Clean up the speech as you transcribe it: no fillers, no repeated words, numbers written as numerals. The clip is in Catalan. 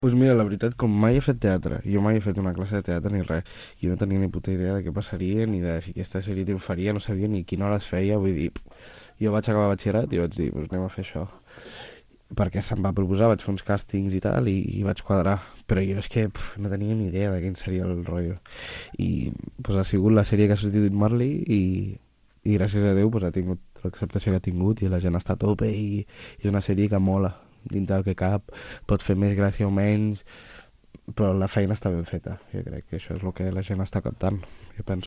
Doncs mira, la veritat, com mai he fet teatre, jo mai he fet una classe de teatre ni res, jo no tenia ni puta idea de què passaria, ni de si aquesta sèrie triomfaria, no sabia ni quina hora es feia, vull dir, jo vaig acabar batxillerat i vaig dir, doncs anem a fer això, perquè se'm va proposar, vaig fer uns càstings i tal, i vaig quadrar, però jo és que no tenia ni idea de quin seria el rotllo, i pues, ha sigut la sèrie que ha substituït Marley, i gràcies a Déu pues, ha tingut l'acceptació que ha tingut, i la gent està a tope, i és una sèrie que mola, dintre del que cap, pot fer més gràcia o menys, però la feina està ben feta. Jo crec que això és el que la gent està captant, jo penso.